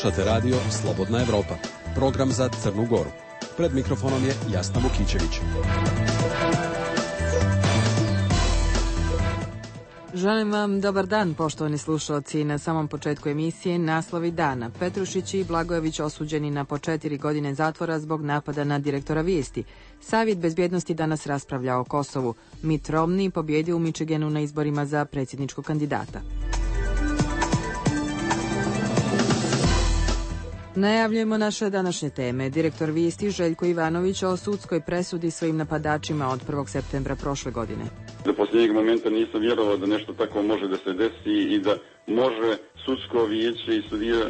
Slušate radio Slobodna Evropa, program za Crnu Goru. Pred mikrofonom je Jasna Vukićević. Želim vam dobar dan, poštovani slušalci. Na samom početku emisije naslovi dana. Petrušić i Blagojević osuđeni na po 4 godine zatvora zbog napada na direktora Vijesti. Savjet bezbjednosti danas raspravlja o Kosovu. Mitt Romney pobjedio u Michiganu na izborima za predsjedničkog kandidata. Najavljujemo naše današnje teme. Direktor Vijesti Željko Ivanović o sudskoj presudi svojim napadačima od 1. septembra prošle godine. Do posljednjeg momenta nisam vjerovao da nešto tako može da se desi i da može sudsko vijeće i sudija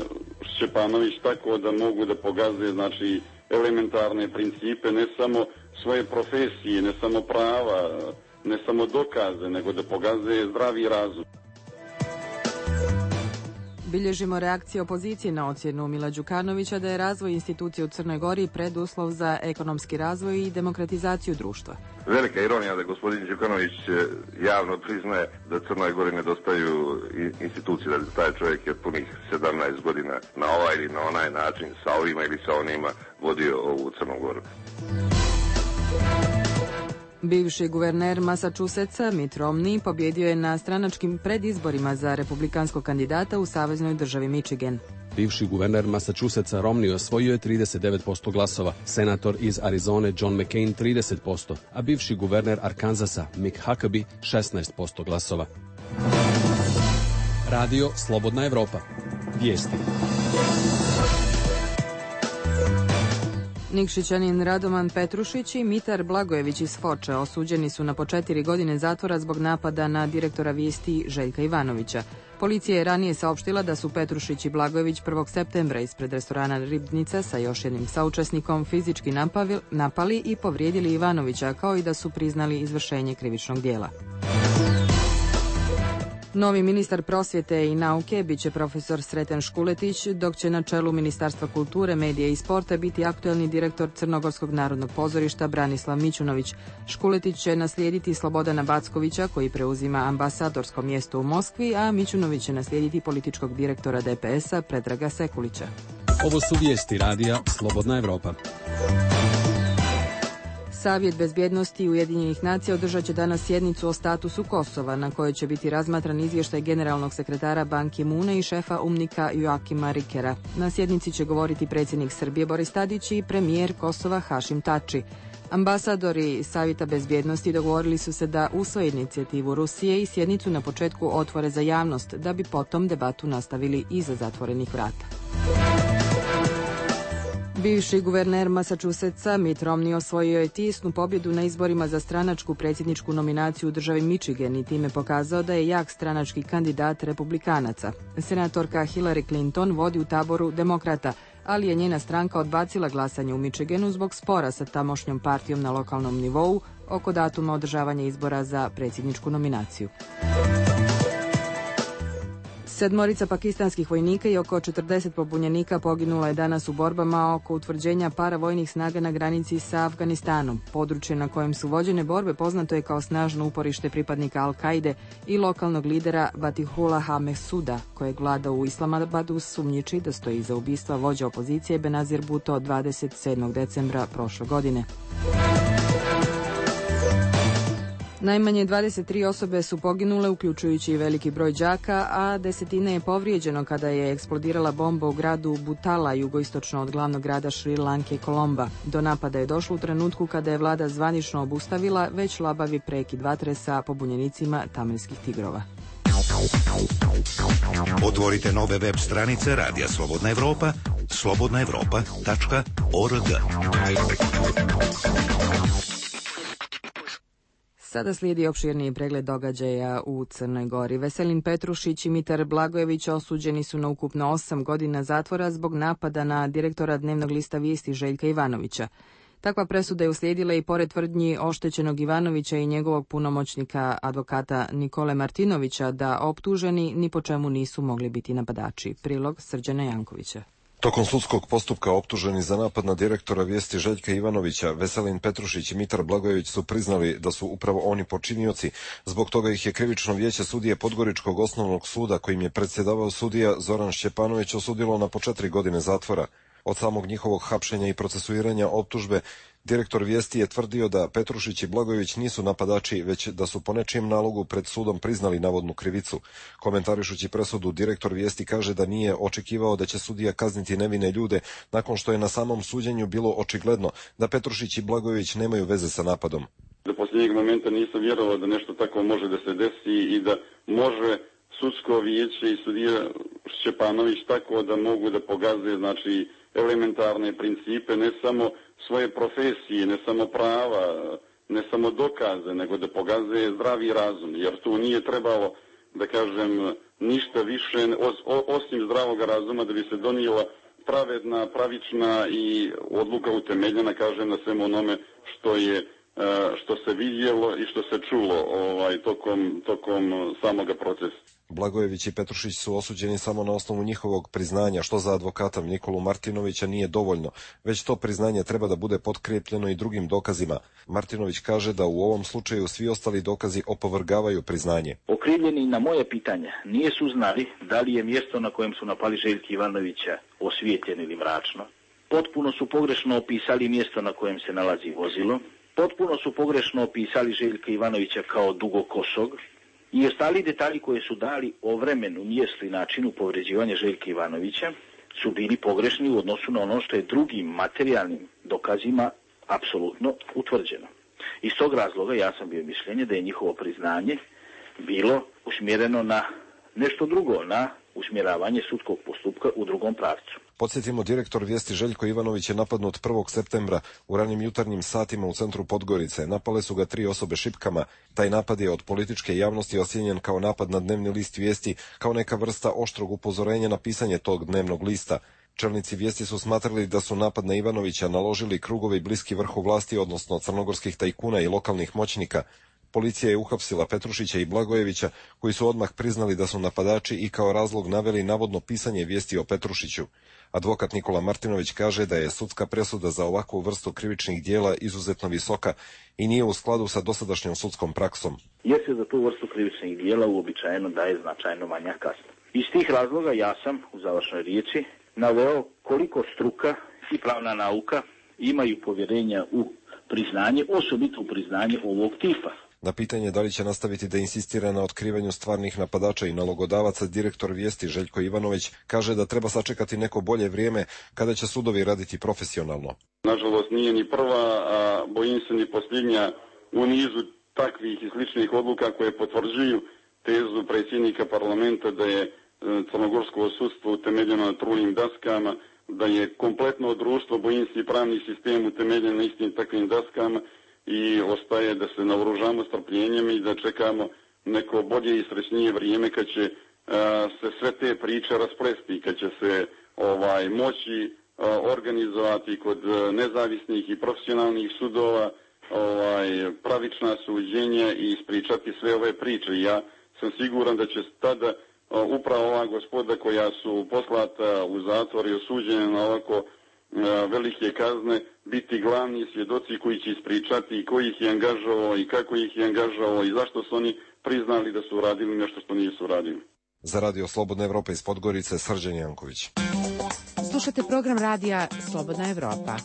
Šćepanović tako da mogu da pogaze, znači, elementarne principe, ne samo svoje profesije, ne samo prava, ne samo dokaze, nego da pogaze zdravi razum. Bilježimo reakcije opozicije na ocjenu Mila Đukanovića da je razvoj institucije u Crnoj Gori preduslov za ekonomski razvoj i demokratizaciju društva. Velika ironija da gospodin Đukanović javno priznaje da Crnoj Gori nedostaju institucije, da taj čovjek je punih 17 godina na ovaj ili na onaj način, sa ovima ili sa onima, vodio ovu Crnu Goru. Bivši guverner Massachusettsa Mitt Romney pobjedio je na stranačkim predizborima za republikanskog kandidata u saveznoj državi Michigan. Bivši guverner Massachusettsa Romney osvojio je 39% glasova, senator iz Arizone John McCain 30%, a bivši guverner Arkansasa Mick Huckabee 16% glasova. Radio Slobodna Evropa. Vijesti. Nikšićanin Radoman Petrušić i Mitar Blagojević iz Foče osuđeni su na po 4 godine zatvora zbog napada na direktora Vijesti Željka Ivanovića. Policija je ranije saopštila da su Petrušić i Blagojević 1. septembra ispred restorana Ribnica sa još jednim saučesnikom fizički napali i povrijedili Ivanovića, kao i da su priznali izvršenje krivičnog djela. Novi ministar prosvjete i nauke biće profesor Sreten Škuletić, dok će na čelu Ministarstva kulture, medije i sporta biti aktuelni direktor Crnogorskog narodnog pozorišta Branislav Mićunović. Škuletić će naslijediti Slobodana Backovića, koji preuzima ambasadorsko mjesto u Moskvi, a Mićunović će naslijediti političkog direktora DPS-a Predraga Sekulića. Ovo su vijesti radija Slobodna Evropa. Savjet bezbjednosti Ujedinjenih nacija održat će danas sjednicu o statusu Kosova, na kojoj će biti razmatran izvještaj generalnog sekretara Ban Ki-moona i šefa UNMIK-a Joakima Rikera. Na sjednici će govoriti predsjednik Srbije Boris Tadić i premijer Kosova Hašim Tači. Ambasadori Savjeta bezbjednosti dogovorili su se da usvoje inicijativu Rusije i sjednicu na početku otvore za javnost, da bi potom debatu nastavili iza zatvorenih vrata. Bivši guverner Massachusettsa Mitt Romney osvojio je tisnu pobjedu na izborima za stranačku predsjedničku nominaciju u državi Michigan i time pokazao da je jak stranački kandidat republikanaca. Senatorka Hillary Clinton vodi u taboru demokrata, ali je njena stranka odbacila glasanje u Michiganu zbog spora sa tamošnjom partijom na lokalnom nivou oko datuma održavanja izbora za predsjedničku nominaciju. 7 pakistanskih vojnika i oko 40 pobunjenika poginulo je danas u borbama oko utvrđenja paravojnih snaga na granici sa Afganistanom. Područje na kojem su vođene borbe poznato je kao snažno uporište pripadnika Al-Kaide i lokalnog lidera Batihullaha Mehsuda, kojeg vlada u Islamabadu sumnjiči da stoji iza ubistva vođa opozicije Benazir Bhutto 27. decembra prošle godine. Najmanje 23 osobe su poginule, uključujući i veliki broj đaka, a desetine je povrijeđeno kada je eksplodirala bomba u gradu Butala, jugoistočno od glavnog grada Šri Lanke Kolomba. Do napada je došlo u trenutku kada je vlada zvanično obustavila već labavi prekid vatre sa pobunjenicima tamilskih tigrova. Otvorite nove web stranice Radija Slobodna Evropa, slobodnaevropa.org. Sada slijedi opširniji pregled događaja u Crnoj Gori. Veselin Petrušić i Mitar Blagojević osuđeni su na ukupno 8 godina zatvora zbog napada na direktora dnevnog lista Vijesti Željka Ivanovića. Takva presuda je uslijedila i pored tvrdnji oštećenog Ivanovića i njegovog punomoćnika advokata Nikole Martinovića da optuženi ni po čemu nisu mogli biti napadači. Prilog Srđana Jankovića. Tokom sudskog postupka optuženi za napad na direktora Vijesti Željka Ivanovića, Veselin Petrušić i Mitar Blagojević su priznali da su upravo oni počinioci. Zbog toga ih je krivično vijeće sudije Podgoričkog osnovnog suda, kojim je predsjedavao sudija Zoran Šćepanović, osudilo na po 4 godine zatvora. Od samog njihovog hapšenja i procesuiranja optužbe, direktor Vijesti je tvrdio da Petrušić i Blagojević nisu napadači, već da su po nečijem nalogu pred sudom priznali navodnu krivicu. Komentarišući presudu, direktor Vijesti kaže da nije očekivao da će sudija kazniti nevine ljude, nakon što je na samom suđenju bilo očigledno da Petrušić i Blagojević nemaju veze sa napadom. Do posljednjeg momenta nisam vjerovao da nešto tako može da se desi i da može sudsko vijeće i sudija Šćepanović tako da mogu da pogaze, znači, elementarne principe, ne samo svoje profesije, ne samo prava, ne samo dokaze, nego da pogaze zdravi razum, jer tu nije trebalo, da kažem, ništa više osim zdravog razuma da bi se donijela pravedna, pravična i odluka utemeljena, kažem, na svemu onome što se vidjelo i što se čulo tokom samoga procesa. Blagojević i Petrušić su osuđeni samo na osnovu njihovog priznanja, što za advokata Nikolu Martinovića nije dovoljno, već to priznanje treba da bude potkrijepljeno i drugim dokazima. Martinović kaže da u ovom slučaju svi ostali dokazi opovrgavaju priznanje. Okrivljeni na moje pitanje nisu znali da li je mjesto na kojem su napali Željka Ivanovića osvijetljeno ili mračno. Potpuno su pogrešno opisali mjesto na kojem se nalazi vozilo. Potpuno su pogrešno opisali Željka Ivanovića kao dugokosog i ostali detalji koje su dali o vremenu, mjestu i načinu povređivanja Željka Ivanovića su bili pogrešni u odnosu na ono što je drugim materijalnim dokazima apsolutno utvrđeno. Iz tog razloga ja sam bio mišljenja da je njihovo priznanje bilo usmjereno na nešto drugo, na usmjeravanje sudskog postupka u drugom pravcu. Podsjetimo, direktor Vijesti Željko Ivanović je napadnut 1. septembra u ranim jutarnjim satima u centru Podgorice. Napale su ga 3 osobe šipkama. Taj napad je od političke javnosti ocijenjen kao napad na dnevni list Vijesti, kao neka vrsta oštrog upozorenja na pisanje tog dnevnog lista. Čelnici Vijesti su smatrali da su napad na Ivanovića naložili krugovi bliski vrhu vlasti, odnosno crnogorskih tajkuna i lokalnih moćnika. Policija je uhapsila Petrušića i Blagojevića, koji su odmah priznali da su napadači i kao razlog naveli navodno pisanje vijesti o Petrušiću. Advokat Nikola Martinović kaže da je sudska presuda za ovakvu vrstu krivičnih dijela izuzetno visoka i nije u skladu sa dosadašnjom sudskom praksom. Jer se za tu vrstu krivičnih dijela uobičajeno daje značajno manja kazna. Iz tih razloga ja sam u završnoj riječi naveo koliko struka i pravna nauka imaju povjerenja u priznanje, osobito u priznanje ovog tipa. Na pitanje da li će nastaviti da insistira na otkrivanju stvarnih napadača i nalogodavaca, direktor Vijesti Željko Ivanović kaže da treba sačekati neko bolje vrijeme kada će sudovi raditi profesionalno. Nažalost nije ni prva, a bojim se ni posljednja u nizu takvih i sličnih odluka koje potvrđuju tezu predsjednika parlamenta da je crnogorsko sudstvo utemeljeno na trulnim daskama, da je kompletno društvo, bojim se i pravni sistem utemeljen na istim takvim daskama, i ostaje da se naoružamo strpljenjem i da čekamo neko bolje i srećnije vrijeme kad će se sve te priče rasplesti, kad će se moći organizovati kod nezavisnih i profesionalnih sudova pravična suđenja i ispričati sve ove priče. Ja sam siguran da će tada upravo ova gospoda koja su poslata u zatvor i osuđena na ovako velike kazne biti glavni svjedoci koji će ispričati ko ih je angažovao i kako ih je angažovao i zašto su oni priznali da su radili nešto što nisu radili. Za Radio Slobodna Evropa iz Podgorice, Srđan Janković. Slušate program radija Slobodna Evropa.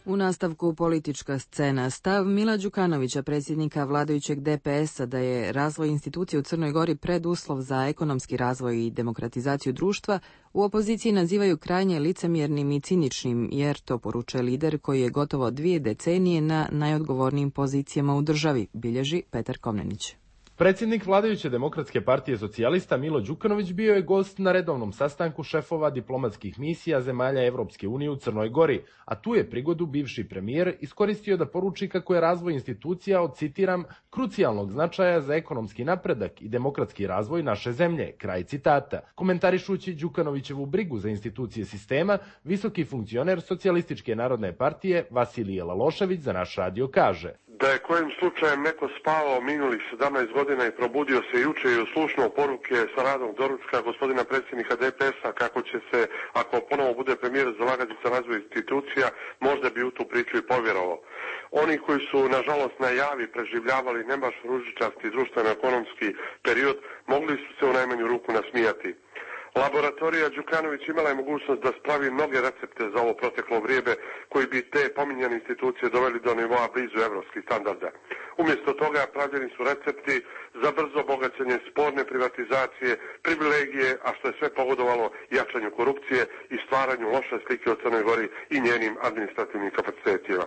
U nastavku politička scena. Stav Mila Đukanovića, predsjednika vladajućeg DPS-a, da je razvoj institucije u Crnoj Gori preduslov za ekonomski razvoj i demokratizaciju društva, u opoziciji nazivaju krajnje licemjernim i ciničnim, jer to poručuje lider koji je gotovo 2 decenije na najodgovornijim pozicijama u državi, bilježi Petar Komnenić. Predsjednik vladajuće Demokratske partije socijalista Milo Đukanović bio je gost na redovnom sastanku šefova diplomatskih misija zemalja Evropske unije u Crnoj Gori, a tu je prigodu bivši premijer iskoristio da poruči kako je razvoj institucija od, citiram, krucijalnog značaja za ekonomski napredak i demokratski razvoj naše zemlje, kraj citata. Komentarišući Đukanovićevu brigu za institucije sistema, visoki funkcioner Socijalističke narodne partije Vasilije Lalošević za naš radio kaže: Da je kojim slučajem neko spavao minulih 17 godina i probudio se juče i uslušnuo poruke sa radnog doručka gospodina predsjednika DPS-a kako će se, ako ponovo bude premijer, zalagati za razvoj institucija, možda bi u tu priču i povjerovao. Oni koji su, nažalost, na javi preživljavali ne baš ružičasti društveno-ekonomski period, mogli su se u najmanju ruku nasmijati. Laboratorija Đukanović imala je mogućnost da spravi mnoge recepte za ovo proteklo vrijeme koji bi te pominjane institucije doveli do nivoa blizu evropskih standarda. Umjesto toga pravljeni su recepti za brzo bogaćenje, sporne privatizacije, privilegije, a što je sve pogodovalo jačanju korupcije i stvaranju loše slike o Crnoj Gori i njenim administrativnim kapacitetima.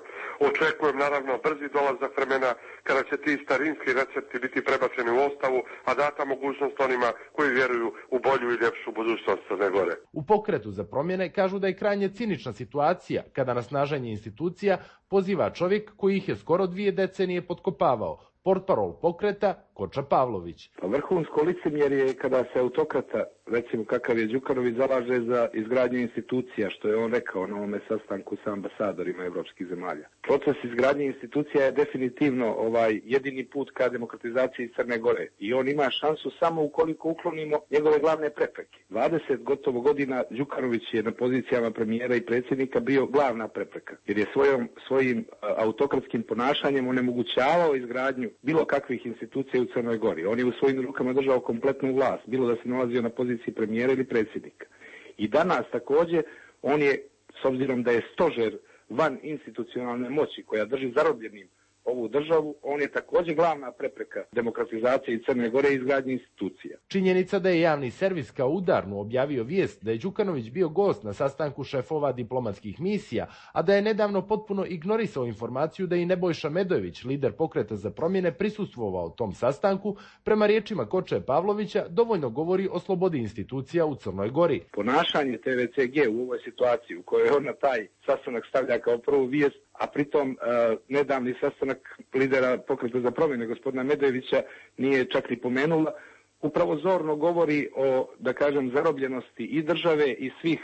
Očekujem naravno brzi dolazak vremena kada će ti starinski recepti biti prebačeni u ostavu, a data mogućnost onima koji vjeruju u bolju i ljepšu budućnost Crne Gore. U Pokretu za promjene kažu da je krajnje cinična situacija kada na snaženje institucija poziva čovjek koji ih je skoro 2 decenije potkopavao, portparol Pokreta Koča Pavlović. Vrhunsko licemjerje je kada se autokrata, recimo kakav je Đukanović, zalaže za izgradnju institucija, što je on rekao na ovome sastanku sa ambasadorima evropskih zemalja. Proces izgradnje institucija je definitivno jedini put ka demokratizaciji Crne Gore i on ima šansu samo ukoliko uklonimo njegove glavne prepreke. 20 gotovo godina Đukanović je na pozicijama premijera i predsjednika bio glavna prepreka, jer je svojim autokratskim ponašanjem onemogućavao izgradnju bilo kakvih institucija u Crnoj Gori. On je u svojim rukama držao kompletnu vlast, bilo da se nalazio na poziciji premijera ili predsjednika. I danas također on je, s obzirom da je stožer van institucionalne moći koja drži zarobljenim ovu državu, on je također glavna prepreka demokratizacije Crne Gore i izgradnje institucija. Činjenica da je javni servis kao udarnu objavio vijest da je Đukanović bio gost na sastanku šefova diplomatskih misija, a da je nedavno potpuno ignorisao informaciju da i Nebojša Medojević, lider Pokreta za promjene, prisustvovao tom sastanku, prema riječima Koče Pavlovića dovoljno govori o slobodi institucija u Crnoj Gori. Ponašanje TVCG u ovoj situaciji u kojoj on na taj sastanak stavlja kao prvu vijest, a pritom nedavni sastanak lidera Pokreta za promjene gospodina Medojevića nije čak ni pomenula, upravo zorno govori o, da kažem, zarobljenosti i države i svih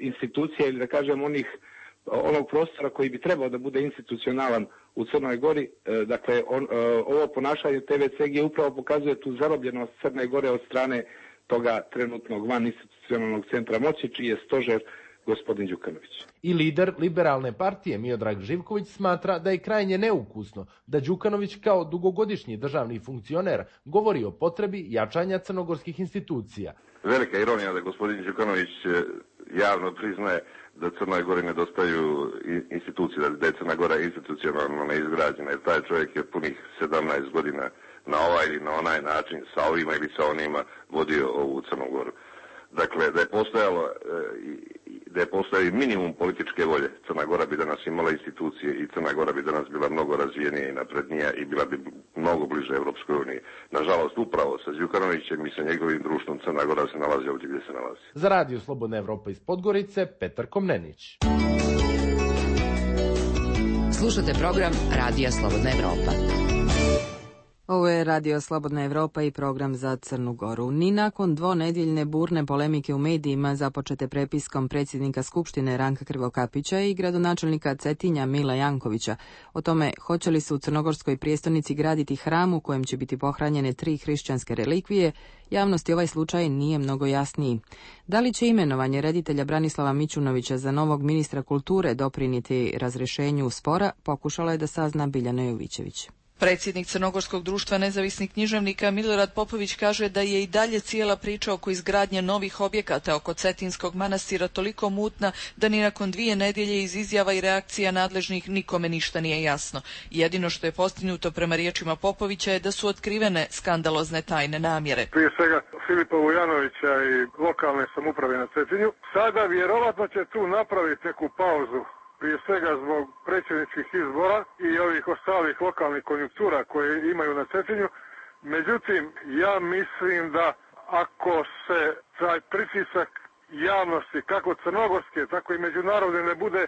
institucija ili da kažem onog prostora koji bi trebao da bude institucionalan u Crnoj Gori. Dakle, ovo ponašanje TVCG upravo pokazuje tu zarobljenost Crne Gore od strane toga trenutnog van institucionalnog centra moći, čiji je stožer gospodin Đukanović. I lider liberalne partije Miodrag Živković smatra da je krajnje neukusno da Đukanović kao dugogodišnji državni funkcioner govori o potrebi jačanja crnogorskih institucija. Velika ironija da gospodin Đukanović javno priznaje da Crnoj Gori nedostaju institucije, da je Crna Gora institucionalno neizgrađena, jer taj čovjek je punih 17 godina na ovaj ili na onaj način sa ovima ili sa onima vodio ovu Crnu Goru. Dakle, da je postojao minimum političke volje, Crna Gora bi danas imala institucije i Crna Gora bi danas bila mnogo razvijenija i naprednija i bila bi mnogo bliže Europskoj uniji. Nažalost, upravo sa Đukanovićem i sa njegovim društvom Crna Gora se nalazi ovdje gdje se nalazi. Za Radio Slobodna Evropa iz Podgorice, Petar Komnenić. Slušate program Radija Slobodna Evropa. Ovo je Radio Slobodna Evropa i program za Crnu Goru. Ni nakon dvonedjeljne burne polemike u medijima započete prepiskom predsjednika Skupštine Ranka Krivokapića i gradonačelnika Cetinja Mila Jankovića o tome hoće li se u crnogorskoj prijestolnici graditi hram u kojem će biti pohranjene 3 hrišćanske relikvije, javnosti ovaj slučaj nije mnogo jasniji. Da li će imenovanje reditelja Branislava Mićunovića za novog ministra kulture doprinijeti razrješenju spora, pokušala je da sazna Biljana Jovićević. Predsjednik Crnogorskog društva nezavisnih književnika Milorad Popović kaže da je i dalje cijela priča oko izgradnje novih objekata oko Cetinskog manastira toliko mutna da ni nakon 2 nedjelje iz izjava i reakcija nadležnih nikome ništa nije jasno. Jedino što je postignuto prema riječima Popovića je da su otkrivene skandalozne tajne namjere. Prije svega Filipa Vujanovića i lokalne samouprave na Cetinju. Sada vjerovatno će tu napraviti neku pauzu, prije svega zbog predsjedničkih izbora i ovih ostalih lokalnih konjunktura koje imaju na Cetinju. Međutim, ja mislim da ako se taj pritisak javnosti, kako crnogorske, tako i međunarodne, ne bude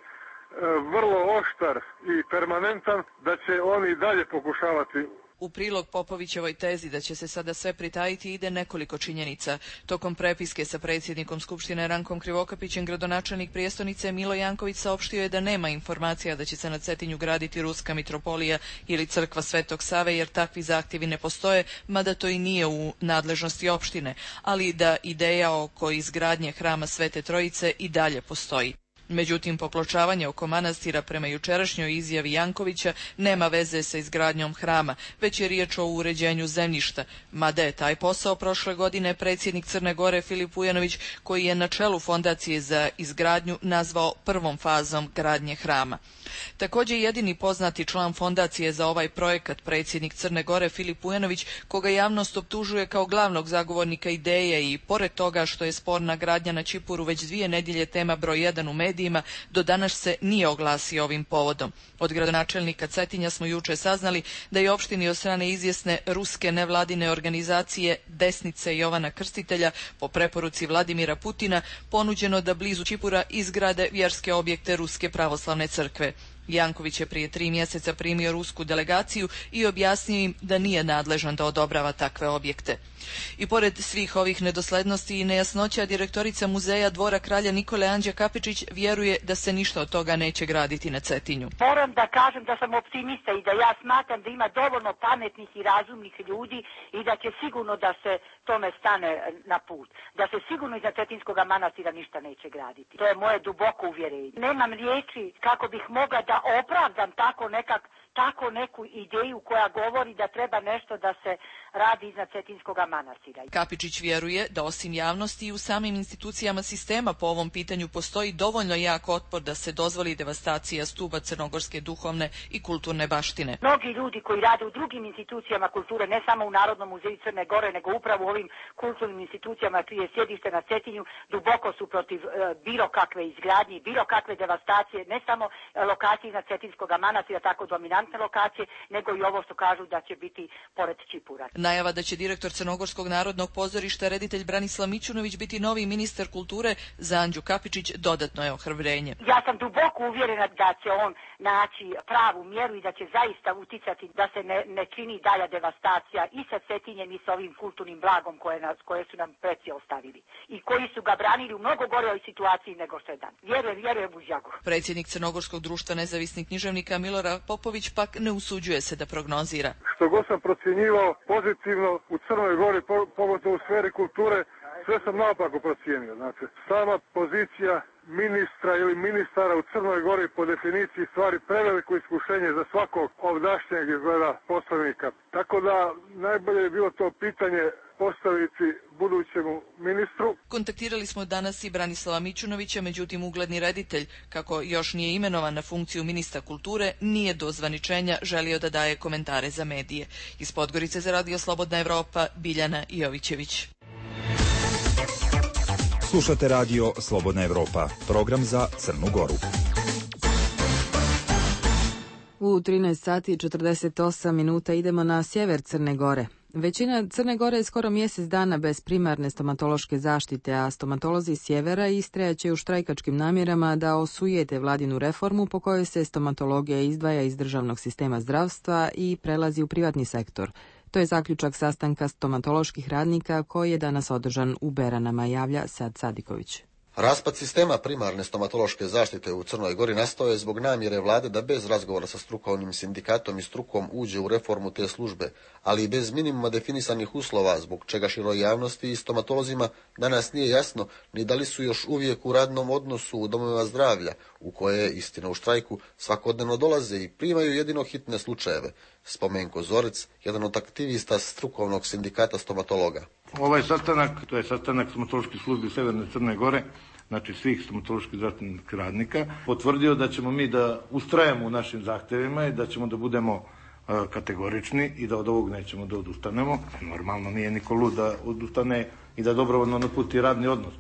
vrlo oštar i permanentan, da će oni dalje pokušavati U prilog Popovićevoj tezi da će se sada sve pritajiti ide nekoliko činjenica. Tokom prepiske sa predsjednikom Skupštine Rankom Krivokapićem gradonačelnik prijestolnice Milo Janković saopštio je da nema informacija da će se na Cetinju graditi Ruska mitropolija ili crkva Svetog Save jer takvi zahtjevi ne postoje, mada to i nije u nadležnosti opštine, ali da ideja oko izgradnje hrama Svete Trojice i dalje postoji. Međutim, popločavanje oko manastira prema jučerašnjoj izjavi Jankovića nema veze sa izgradnjom hrama, već je riječ o uređenju zemljišta, mada je taj posao prošle godine predsjednik Crne Gore Filip Vujanović, koji je na čelu fondacije za izgradnju, nazvao prvom fazom gradnje hrama. Također jedini poznati član fondacije za ovaj projekat, predsjednik Crne Gore Filip Vujanović, koga javnost optužuje kao glavnog zagovornika ideje i pored toga što je sporna gradnja na Čipuru već 2 nedjelje tema broj 1 u medijima, do danas se nije oglasio ovim povodom. Od gradonačelnika Cetinja smo juče saznali da je opštini od strane izvjesne ruske nevladine organizacije Desnice Jovana Krstitelja po preporuci Vladimira Putina ponuđeno da blizu Čipura izgrade vjerske objekte Ruske pravoslavne crkve. Janković je prije 3 mjeseca primio rusku delegaciju i objasnio im da nije nadležan da odobrava takve objekte. I pored svih ovih nedoslednosti i nejasnoća, direktorica muzeja Dvora kralja Nikole Anđa Kapičić vjeruje da se ništa od toga neće graditi na Cetinju. Moram da kažem da sam optimista i da ja smatram da ima dovoljno pametnih i razumnih ljudi i da će sigurno da se tome stane na put. Da se sigurno iza Cetinskog manastira ništa neće graditi. To je moje duboko uvjerenje. Nemam riječi kako bih mogla da opravdam tako neku ideju koja govori da treba nešto da se radi iznad Cetinskog manastira. Kapičić vjeruje da osim javnosti i u samim institucijama sistema po ovom pitanju postoji dovoljno jak otpor da se dozvoli devastacija stuba crnogorske duhovne i kulturne baštine. Mnogi ljudi koji rade u drugim institucijama kulture, ne samo u Narodnom muzeju Crne Gore, nego upravo u ovim kulturnim institucijama čije je sjedište na Cetinju, duboko su protiv bilo kakve izgradnje, bilo kakve devastacije, ne samo lokacije iznad Cetinskog manastira, tako dominantne lokacije, nego i ovo što kažu da će biti pored Čipura. Najava da će direktor Crnogorskog narodnog pozorišta reditelj Branislav Mićunović biti novi ministar kulture za Anđu Kapičić dodatno je ohrabrenje. Ja sam duboko uvjerena da će on naći pravu mjeru i da će zaista uticati da se ne čini dalja devastacija i sa Cetinjem i sa ovim kulturnim blagom koje su nam preci ostavili i koji su ga branili u mnogo goroj situaciji nego što je dan. Vjerujem u Žjagu. Predsjednik Crnogorskog društva nezavisnih književnika Milorad Popović pak ne usuđuje se da prognozira. Što god sam procjenjivao pozitivno u Crnoj Gori, pogotovo u sferi kulture, sve sam naopako procijenio. Znači, sama pozicija ministra ili ministara u Crnoj Gori po definiciji stvari preveliko iskušenje za svakog ovdašnjeg izgleda poslanika. Tako da najbolje je bilo to pitanje postaviti budućemu ministru. Kontaktirali smo danas i Branislava Mićunovića, međutim ugledni reditelj, kako još nije imenovan na funkciju ministra kulture, nije do zvaničenja želio da daje komentare za medije. Iz Podgorice za Radio Slobodna Evropa, Biljana Jovićević. Slušate Radio Slobodna Evropa, program za Crnu Goru. U 13 sati i 48 minuta idemo na sjever Crne Gore. Većina Crne Gore je skoro mjesec dana bez primarne stomatološke zaštite, a stomatolozi sjevera istrajaće u štrajkačkim namjerama da osujete vladinu reformu po kojoj se stomatologija izdvaja iz državnog sistema zdravstva i prelazi u privatni sektor. To je zaključak sastanka stomatoloških radnika koji je danas održan u Beranama, javlja Sad Sadiković. Raspad sistema primarne stomatološke zaštite u Crnoj Gori nastao je zbog namjere vlade da bez razgovora sa strukovnim sindikatom i strukom uđe u reformu te službe, ali i bez minimuma definisanih uslova, zbog čega široj javnosti i stomatolozima danas nije jasno ni da li su još uvijek u radnom odnosu u domovima zdravlja, u koje, istina u štrajku, svakodnevno dolaze i primaju jedino hitne slučajeve. Spomenko Zorec, jedan od aktivista strukovnog sindikata stomatologa. Ovaj sastanak, to je sastanak stomatoloških službi Severne Crne Gore, znači svih stomatoloških zdravstvenih radnika, potvrdio da ćemo mi da ustrajemo u našim zahtjevima i da ćemo da budemo kategorični i da od ovog nećemo da odustanemo. Normalno nije niko lud da odustane i da dobrovoljno napusti radni odnos.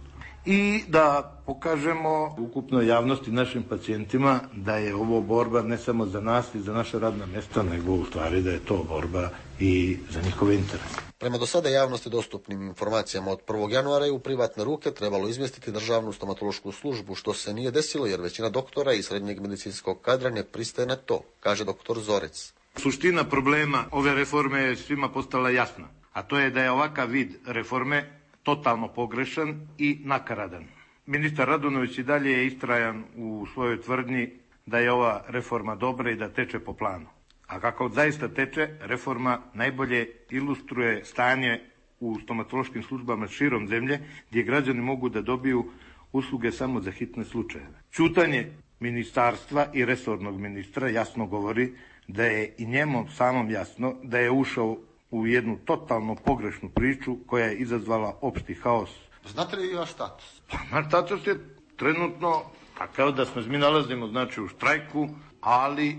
I da pokažemo ukupnoj javnosti, našim pacijentima, da je ovo borba ne samo za nas i za naše radna mjesta, nego u stvari da je to borba i za njihove interese. Prema do sada javnosti dostupnim informacijama od 1. januara je u privatne ruke trebalo izmjestiti državnu stomatološku službu, što se nije desilo jer većina doktora i srednjeg medicinskog kadra ne pristaje na to, kaže doktor Zorec. Suština problema ove reforme je svima postala jasna, a to je da je ovakav vid reforme totalno pogrešan i nakaradan. Ministar Radunović i dalje je istrajan u svojoj tvrdnji da je ova reforma dobra i da teče po planu. A kako zaista teče, reforma najbolje ilustruje stanje u stomatološkim službama širom zemlje, gdje građani mogu da dobiju usluge samo za hitne slučajeve. Ćutanje ministarstva i resornog ministra jasno govori da je i njemu samom jasno da je ušao u jednu totalno pogrešnu priču koja je izazvala opšti haos. Znate li vaš status? Pa naš status je trenutno takav da se mi nalazimo znači u štrajku, ali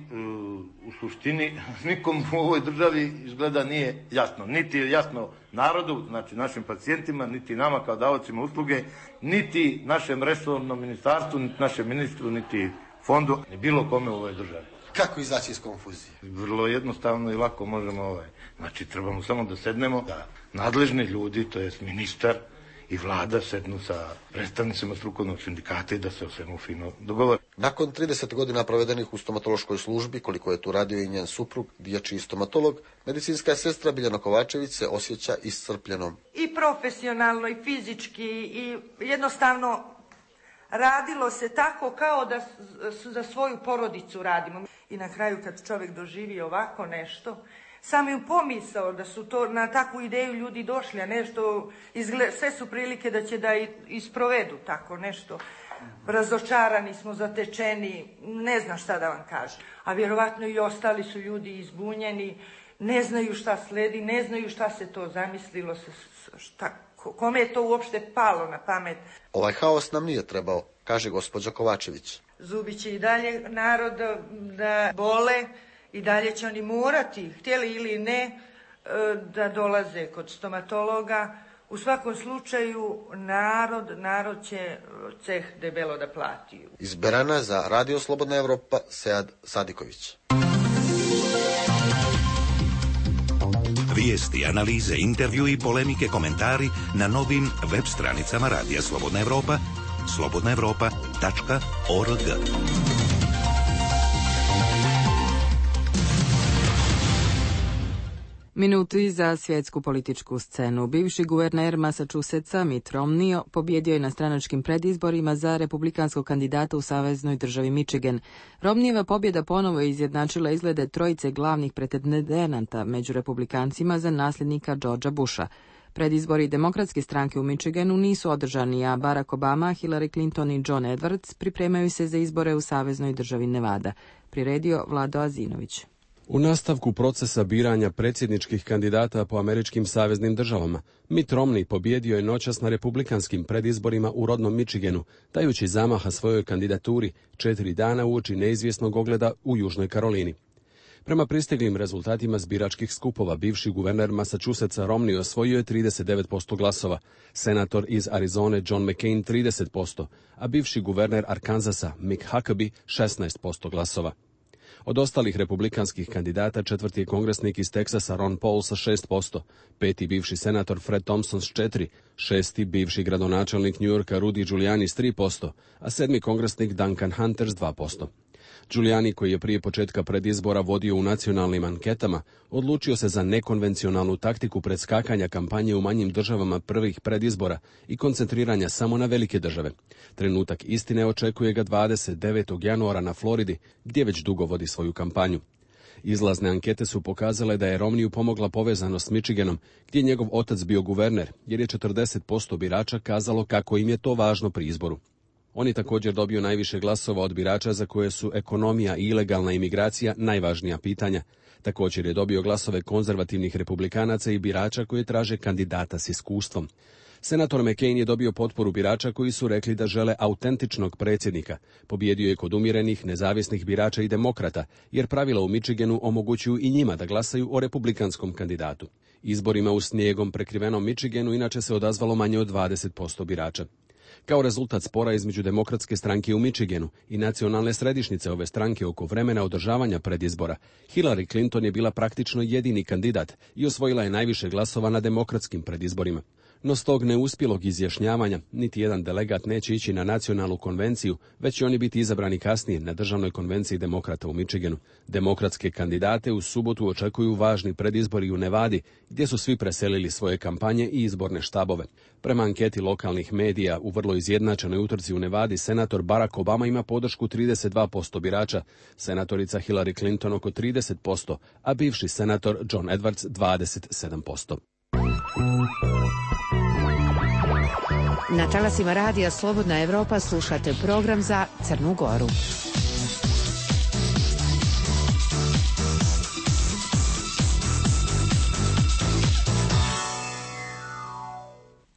u suštini nikom u ovoj državi izgleda nije jasno. Niti je jasno narodu, znači našim pacijentima, niti nama kao davacima usluge, niti našem resornom ministarstvu, niti našem ministru, niti fondu, ni bilo kome u ovoj državi. Kako izaći iz konfuzije? Vrlo jednostavno i lako možemo Znači trebamo samo da sednemo, da nadležni ljudi, to jest ministar i vlada sednu sa predstavnicima strukovnog sindikata i da se o svemu fino dogovore. Nakon 30 godina provedenih u stomatološkoj službi, koliko je tu radio i njen suprug, dječji stomatolog, medicinska sestra Biljana Kovačević se osjeća iscrpljenom. I profesionalno i fizički i jednostavno radilo se tako kao da za svoju porodicu radimo. I na kraju kad čovjek doživi ovako nešto, sam ju pomisao da su to na takvu ideju ljudi došli, a nešto, sve su prilike da će da isprovedu tako nešto. Razočarani smo, zatečeni, ne znam šta da vam kažem. A vjerovatno i ostali su ljudi izbunjeni, ne znaju šta sledi, ne znaju šta se to zamislilo, kome je to uopšte palo na pamet. Ovaj haos nam nije trebao, kaže gospođa Kovačević. Zubi će i dalje narod da bole, i dalje će oni morati, htjeli ili ne, da dolaze kod stomatologa. U svakom slučaju narod će ceh debelo da plati. Iz Berana za Radio Slobodna Evropa, Sead Sadiković. Vijesti, analize, intervju i polemike, komentari na novim web stranicama Radija Slobodna Evropa, slobodnaevropa.org. Minuti za svjetsku političku scenu. Bivši guverner Massachusettsa Mitt Romney pobjedio je na stranačkim predizborima za republikanskog kandidata u saveznoj državi Michigan. Romneyeva pobjeda ponovo je izjednačila izglede trojice glavnih pretendenata među republikancima za nasljednika Georgea Busha. Predizbori demokratske stranke u Michiganu nisu održani, a Barack Obama, Hillary Clinton i John Edwards pripremaju se za izbore u saveznoj državi Nevada. Priredio Vlado Azinović. U nastavku procesa biranja predsjedničkih kandidata po američkim saveznim državama, Mitt Romney pobjedio je noćas na republikanskim predizborima u rodnom Michiganu, dajući zamaha svojoj kandidaturi 4 dana uoči neizvjesnog ogleda u Južnoj Karolini. Prema pristiglim rezultatima zbiračkih skupova, bivši guverner Massachusettsa Romney osvojio je 39% glasova, senator iz Arizone John McCain 30%, a bivši guverner Arkansasa Mick Huckabee 16% glasova. Od ostalih republikanskih kandidata četvrti je kongresnik iz Teksasa Ron Paul sa 6%, peti bivši senator Fred Thompson s 4%, šesti bivši gradonačelnik New Yorka Rudy Giuliani s 3%, a sedmi kongresnik Duncan Hunter s 2%. Giuliani, koji je prije početka predizbora vodio u nacionalnim anketama, odlučio se za nekonvencionalnu taktiku predskakanja kampanje u manjim državama prvih predizbora i koncentriranja samo na velike države. Trenutak istine očekuje ga 29. januara na Floridi, gdje već dugo vodi svoju kampanju. Izlazne ankete su pokazale da je Romneyu pomogla povezanost s Michiganom, gdje je njegov otac bio guverner, jer je 40% birača kazalo kako im je to važno pri izboru. On je također dobio najviše glasova od birača za koje su ekonomija i ilegalna imigracija najvažnija pitanja. Također je dobio glasove konzervativnih republikanaca i birača koji traže kandidata s iskustvom. Senator McCain je dobio potporu birača koji su rekli da žele autentičnog predsjednika. Pobjedio je kod umjerenih, nezavisnih birača i demokrata, jer pravila u Michiganu omogućuju i njima da glasaju o republikanskom kandidatu. Izborima u snijegom prekrivenom Michiganu inače se odazvalo manje od 20% birača. Kao rezultat spora između demokratske stranke u Michiganu i nacionalne središnjice ove stranke oko vremena održavanja predizbora, Hillary Clinton je bila praktično jedini kandidat i osvojila je najviše glasova na demokratskim predizborima. No s tog neuspjelog izjašnjavanja niti jedan delegat neće ići na nacionalnu konvenciju, već će oni biti izabrani kasnije na državnoj konvenciji demokrata u Michiganu. Demokratske kandidate u subotu očekuju važni predizbori u Nevadi, gdje su svi preselili svoje kampanje i izborne štabove. Prema anketi lokalnih medija u vrlo izjednačenoj utrci u Nevadi, senator Barack Obama ima podršku 32% birača, senatorica Hillary Clinton oko 30%, a bivši senator John Edwards 27%. Na talasima radija Slobodna Evropa slušate program za Crnu Goru.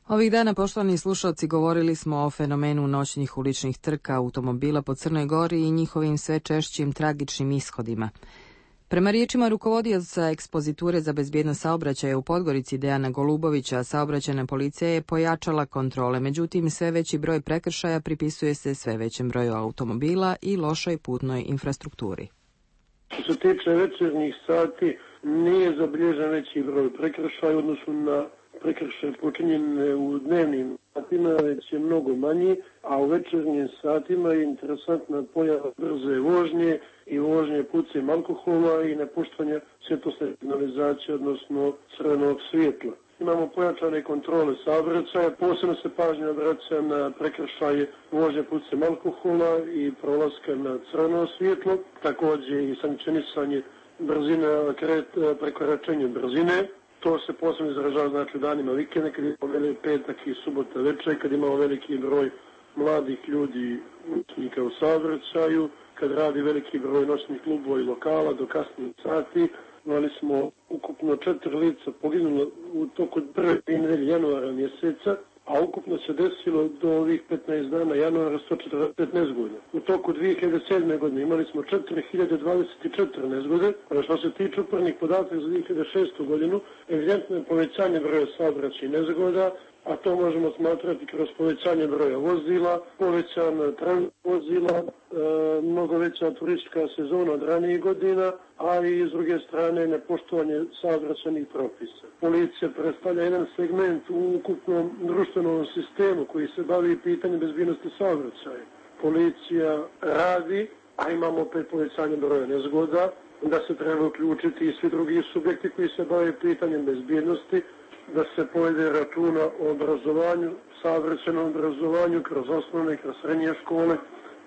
Ovih dana, poštovani slušalci, govorili smo o fenomenu noćnih uličnih trka automobila po Crnoj Gori i njihovim sve češćim tragičnim ishodima. Prema riječima rukovodioca ekspoziture za bezbjednost saobraćaja u Podgorici Dejana Golubovića, saobraćajna policija je pojačala kontrole, međutim sve veći broj prekršaja pripisuje se sve većem broju automobila i lošoj putnoj infrastrukturi. Što se tiče večernjih sati, nije zabilježen veći broj prekršaja u odnosu na prekršaje počinjene u dnevnim satima, već je mnogo manji, a u večernjim satima je interesantna pojava brze vožnje i vožnje pucem alkohola i nepoštovanja svjetlosne signalizacije, odnosno crvenog svjetla. Imamo pojačane kontrole saobraćaja, posebno se pažnja obraća na prekršaje vožnje pucem alkohola i prolaska na crveno svjetlo, također i sankcionisanje brzine, prekoračenje brzine. To se posebno izražava znači u danima vikenda, kad imamo petak i subota večer, kad imamo veliki broj mladih ljudi učenika u saobraćaju, kad radi veliki broj noćnih klubova i lokala do kasnih sati. Imali smo ukupno 4 lica poginulo u toku prve nedelje januara mjeseca, a ukupno se desilo do ovih 15 dana januara 115 godina. U toku 2007. godine imali smo 4024 nezgode, a što se tiče upornih podataka za 2006. godinu, evidentno je povećanje broja saobraćajnih nezgoda, a to možemo smatrati kroz povećanje broja vozila, povećan transport vozila, mnogo veća turistička sezona od ranijih godina, a i s druge strane nepoštovanje saobraćajnih propisa. Policija predstavlja jedan segment u ukupnom društvenom sistemu koji se bavi pitanjem bezbjednosti saobraćaja. Policija radi, a imamo opet povećanje broja nezgoda, da se treba uključiti i svi drugi subjekti koji se bave pitanjem bezbjednosti, da se povede računa o obrazovanju, saobraćajnom obrazovanju kroz osnovne i kroz srednje škole,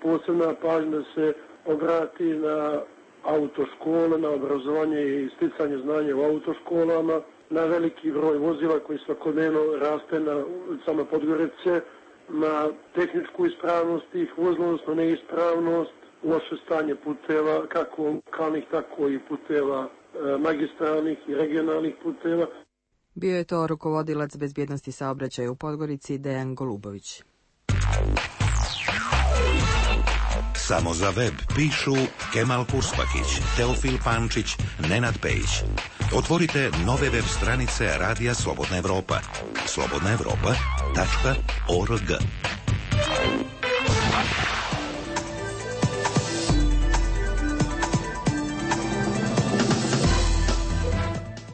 posebna pažnja da se obrati na autoškole, na obrazovanje i sticanje znanja u autoškolama, na veliki broj vozila koji svakodnevno raste na ulicama Podgorice, na tehničku ispravnost tih vozila, odnosno neispravnost, loše stanje puteva, kako lokalnih, tako i puteva magistralnih i regionalnih puteva. Bio je to rukovodilac bezbjednosti saobraćaja u Podgorici Dejan Golubović. Samo za web pišu Kemal Purspakić, Teofil Pančić, Nenad Pejić. Otvorite nove web stranice Radija Slobodna Evropa. slobodnaevropa.org.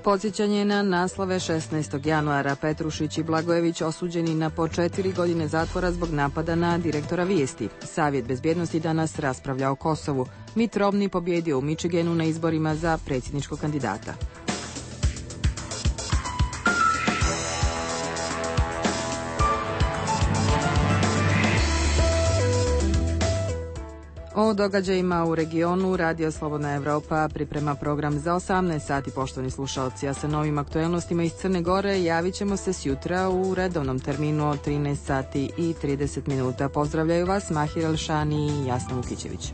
Podsjećanje na naslove 16. januara. Petrušić i Blagojević osuđeni na po 4 godine zatvora zbog napada na direktora Vijesti. Savjet bezbjednosti danas raspravlja o Kosovu. Mitt Romney pobjedio u Michiganu na izborima za predsjedničkog kandidata. O događajima u regionu Radio Slobodna Evropa priprema program za 18 sati, poštovani slušalci, a sa novim aktuelnostima iz Crne Gore javit ćemo se sjutra u redovnom terminu od 13 sati i 30 minuta. Pozdravljaju vas Mahir Elšani i Jasna Vukićević.